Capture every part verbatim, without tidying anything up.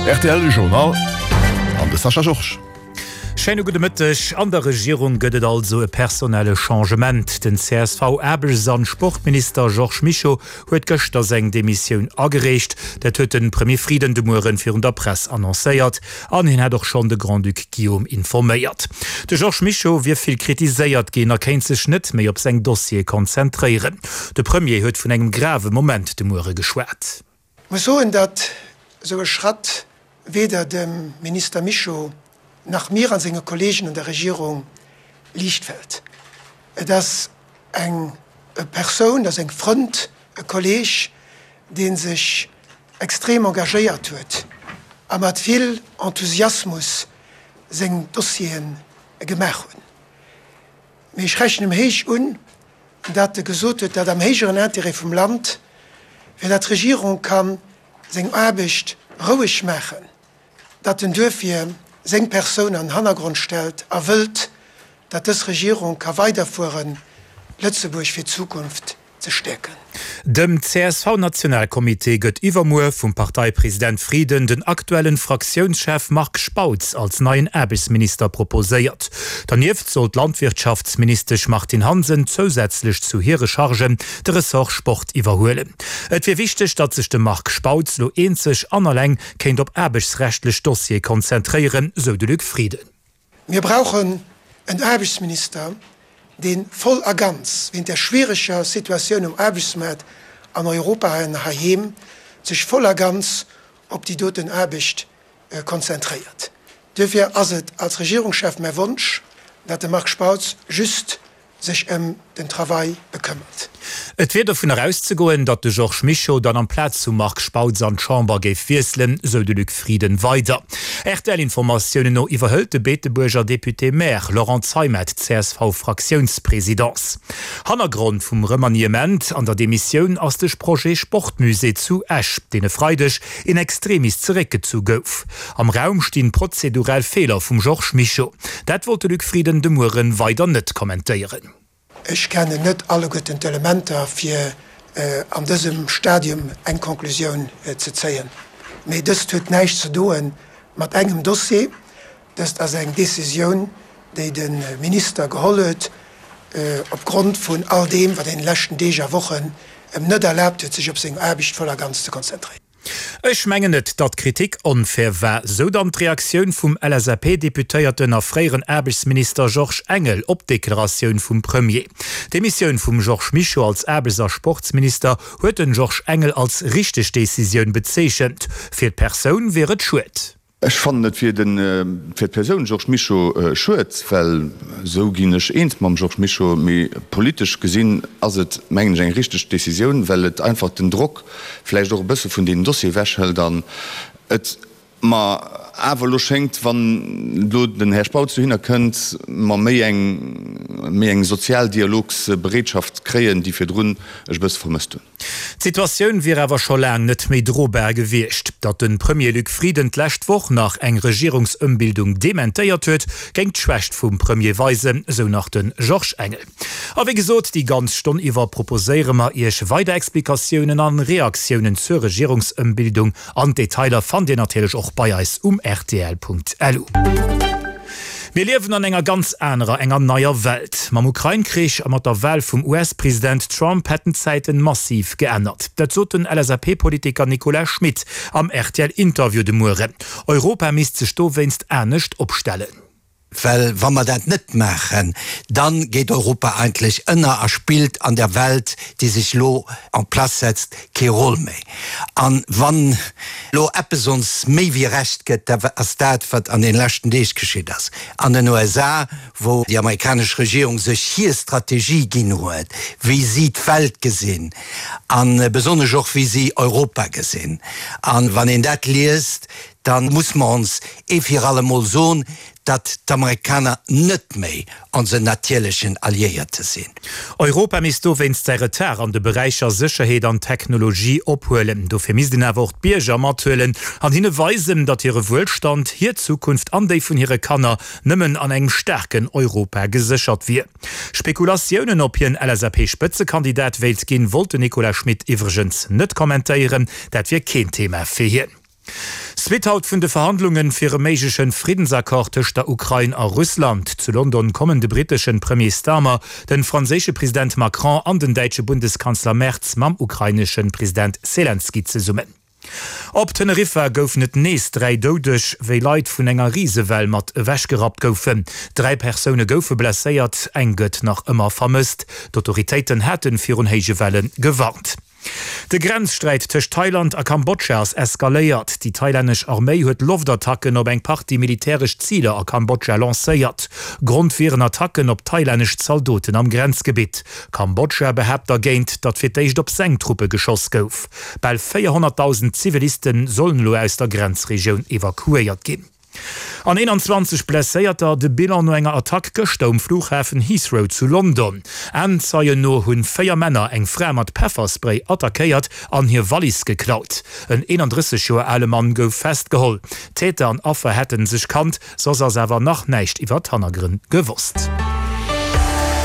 Rtl Journal an de Sascha Georges. Schéine gudde Mëtteg. An der Regierung gëtt et also e personelle Changement. Den C S V-Aarbechts an Sportminister Georges Mischo huet gëschter seng Demissioun agereecht. Dat huet de Premier Frieden de Mueren virun der Press annoncéiert. An hien hätt och schonn de Grand-Duc Guillaume informéiert. De Georges Mischo wier vill kritiséiert ginn a kéint sech net méi op seng Dossiere konzentréieren. De Premier huet vun engem grave Moment de Muere geschwat. Muss soen, datt esou e Schratt weder dem Minister Mischo nach mir an senge Kolleegen an der Regierung liicht fält. Et ass eng Persoun, ass eng Frënd, e Kolleeg, dee sech extrem engagéiert huet a mat vill Enthusiasmus seng Dossiere gemaach hunn. Mee ech rechnen em héich un, datt e gesot huet, datt am héijeren Interêt vum Land, fir datt d'Regierung ka seng Aarbecht roueg maachen, datt en duerfir seng Persoun an den Hannergrond stellt a wëllt, datt dës Regierung ka weiderfueren, Lëtzebuerg fir d'Zukunft ze stäerken. Dem C S V-Nationalcomité gëtt iwwermuer vum Parteipresident Frieden den aktuellen Fraktiounschef Marc Spautz als neien Aarbechtsminister proposéiert. Dernieft soll d'Landwirtschaftsministesch Martine Hansen zousätzlech zu hire Chargen de Ressort Sport iwwerhuelen. Et wier wichteg, datt sech de Marc Spautz lo eenzeg an alleng kéint op aarbechtsrechtlech Dossiere konzentréieren, sou de Luc Frieden. Mir brauchen en Aarbechtsminister, dee voll a ganz, wéint der schwiereger Situatioun um Aarbechtsmaart an Europa an heiheem, sech voll a ganz op déi doten Aarbecht konzentréiert. Duerfir ass et als Regierungschef mäi Wonsch, datt de Marc Spautz just sech ëm den Travail bekëmmert. Et wier dovunner auszegoen, datt de Georges Mischo dann amplaz vum Marc Spautz an d'Chamber géif wiesselen, sou de Luc Frieden weider. R T L-Informatiounen no iwwerhëlt de Beetebuerger Député-maire Laurent Zeimet d'C S V-Fraktiounspresidence. Hannergrond vum Remaniement an der Demissioun ass de Projet Sportmusée zu Esch, deen e Freideg in extremis zeréckgezu gouf. Am Raum stinn prozedurell Feeler vum Georges Mischo. Dat wollt de Luc Frieden de Muere weider net kommentéieren. Ech kennen net alleguerten d'Elementer, fir an dësem Stadium eng Konklusioun ze zéien. Mee dëst huet näischt ze doe mat engem Dossier. Dëst ass eng Decisioun, déi de Minister geholl huet opgrond vun all deem, wat an de leschten Deeg a Wochen em net erlaabt huet, sech op seng Aarbecht voll a ganz ze konzentréieren. Ech mengen net, datt d'Kritik onfair war, sou dann d'Reaktioun vum L S A P-Deputéierten a fréieren Aarbechtsminister Georges Engel op d'Deklaratioun vum Premier. D'Demissioun vum Georges Mischo als Aarbechts a Sportsminister huet den Georges Engel als richteg Decisioun bezeechent. Fir d'Persoun wier et schued. Ech fannen et fir den fir d'Persoun Georges Mischo schued, well esou ginn ech eens mam Georges Mischo, mee politesch gesinn ass et, mengen ech, eng richteg Decisioun, well et einfach den Drock vläicht och e bësse vun deenen Dossier ewechhëlt an et mer awer elo schéngt, wann elo den Här Spautz dohinner kënnt, mer méi eng méi eng sozial Dialogsbereetschaft kréien, déi virdrun ech e bësse vermësst hunn. D'Situatioun wier awer scho laang net méi drobar gewiescht. Datt de Premier Luc Frieden d'lescht Woch nach eng Regierungsëmbildung dementéiert huet, géing d'Schwächt vum Premier weisen, sou nach de Georges Engel. A wéi gesot, déi ganz Stonn iwwer proposéiere mer Iech weider Explikatiounen an Reaktiounen zur Regierungsëmbildung an d'Detailer fannt Dir natierlech och bei eis um rtl Punkt L U. Mir liewen an enger ganz anerer, enger neier Welt. Mam Ukrain-Krich a mat der Wal vum U S-President Trump hätten d'Zäiten massiv geännert. Dat sot den L S A P-Politiker Nicolas Schmit am R T L-Interview de Mueren. Europa misst sech dowéinst anescht opstellen. Well wa mer dat net maachen, da geet Europa eigentlech ënner a spillt an der Welt, déi sech elo en place setzt, kee Roll méi. An wann elo eppes ons méi wéi Recht gëtt, da ass dat, wat an den leschten Deeg geschitt ass an den U S A, wou déi amerikanesch Regierung sech hir Strategie ginn huet, wéi si d'Welt gesinn a besonnesch och wéi si Europa gesinn. An wann een dat liest, da muss mer ons ee fir allemol soen, datt d'Amerikaner net méi onsen natierlechen Alliéierte sinn. Europa misst dowéinst säi Retard an de Beräicher Sécherheet an Technologie ophuelen. Dofir misst een awer och d'Bierger mathuelen an hinne weisen, datt hire Wuelstand, hir Zukunft an déi vun hire Kanner nëmmen an engem staarken Europa geséchert wier. Spekulatiounen, ob hien L S A P-Spëtzekandidat wéilt ginn, wollt den Nicolas Schmit iwwregens net kommentéieren. Dat wier keen Thema fir hien. Suite haut vun de Verhandlungen fir e méiglechen Friddensaccord tëscht der Ukrain a Russland. Zu London kommen de britteschen Premier Starmer, den franséische President Macron an den däitsche Bundeskanzler Merz mam ukraineschen President Selenskyj zesummen. Op Teneriffa goufen et nees dräi Doudeg, wéi Leit vun enger Risewell mat ewechgerappt goufen. Dräi Persoune goufe blesséiert, eng gëtt nach ëmmer vermësst. D'Autoritéiten hate virun héije Welle gewarnt. De Grenzsträit tëscht Thailand a Kambodscha ass eskaléiert. Déi thailännesch Arméi huet Loftattacken op eng Partie militäresch Ziler a Kambodscha lancéiert. Grond wieren Attacken op thailännesch Zaldoten am Grenzgebitt. Kambodscha behaapt dergéint, datt fir d'éischt op seng Truppe geschoss gouf. Bal véierhonnertdausend Ziviliste sollen elo aus der Grenzregioun evakuéiert ginn. An eenanzwanzeg Blesséierter, de Bilan no enger Attack gëschter um Flughafen Heathrow zu London. Aenzeien no hunn véier Männer eng Fra mat Pefferspray attackéiert an hir Wallis geklaut. En eenandrësseg Joer ale Mann gouf festgeholl. Täter an Affer hätte sech kannt, soss ass awer nach näischt iwwer d'Hannergrënn gewosst.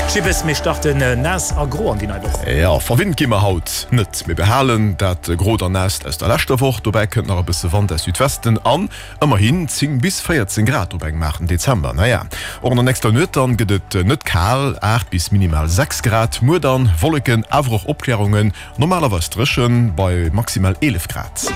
Jibbes, mir starten naass a gro an déi nei Woch. Jo, verwinnt gi mer haut net. Mir behalen dat Grot an Naasst aus der leschter Woch. Dobäi kënnt nach e bësse Wand aus Südwesten an ëmmerhin zéng bis véierzéng Grad op engem aachten Dezember. Naja, och an der nächster Nuet dann gëtt et net kal, aacht bis minimal sechs Grad. Muer dann Wolleken, awer och Opklärungen, normalerweis dréchen bei maximal eelef Grad.